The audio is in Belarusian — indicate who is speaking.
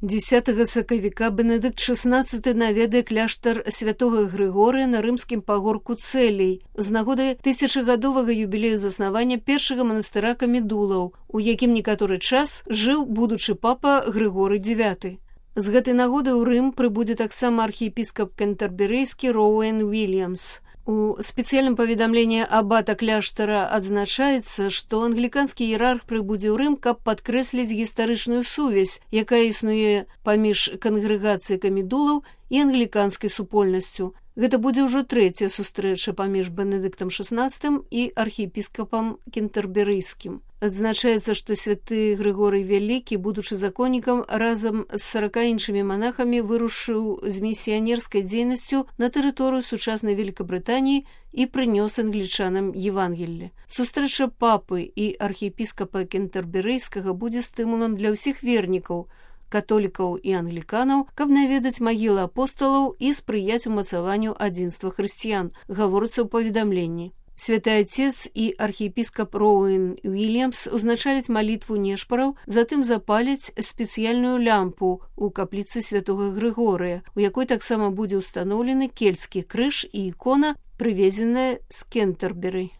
Speaker 1: 10 сакавіка Бенедыкт XVI наведае кляштар святога Грыгорыя на рымскім пагорку Цэлей з нагоды тысячагадовага юбілею заснавання першага манастыра камедулаў, у якім некаторы час жыў будучы папа Грыгорый IX. З гэтай нагоды ў Рым прыбудзе таксама архіепіскап кентэрберыйскі Роуэн Уильямс. У спецыяльным паведамленні абата кляштара адзначаецца, што англіканскі іерарх прыбудзе ў Рым, каб падкрэсліць гістарычную сувязь, якая існуе паміж кангрэгацыяй камедулаў і англіканскай супольнасцю. Гэта будзе ўжо трэцяя сустрэча паміж Бенедыктам XVI і архіепіскапам кентэрберыйскім. Адзначаецца, што святы Грыгорый Вялікі, будучы законнікам, разам з 40 іншымі манахамі вырушыў з місіянерскай дзейнасцю на тэрыторыю сучаснай Великабрытаніі і прынёс англічанам Евангелле. Сустрэча папы і архіепіскапа кентэрберыйскага будзе стымулам для ўсіх вернікаў, католікаў і англіканаў, каб наведаць магілы апосталаў і спрыяць умацаванню адзінства хрысціян, гаворыцца ў паведамленні. Святы Отец і архіепіскап Роуэн Уильямс узначаляць малітву нешпараў, затым запаляць спецыяльную лямпу ў капліцы святога Грыгорыя, у якой таксама будзе ўстаноўлены кельцкі крыж і ікона, прывезеная з Кентэрберы.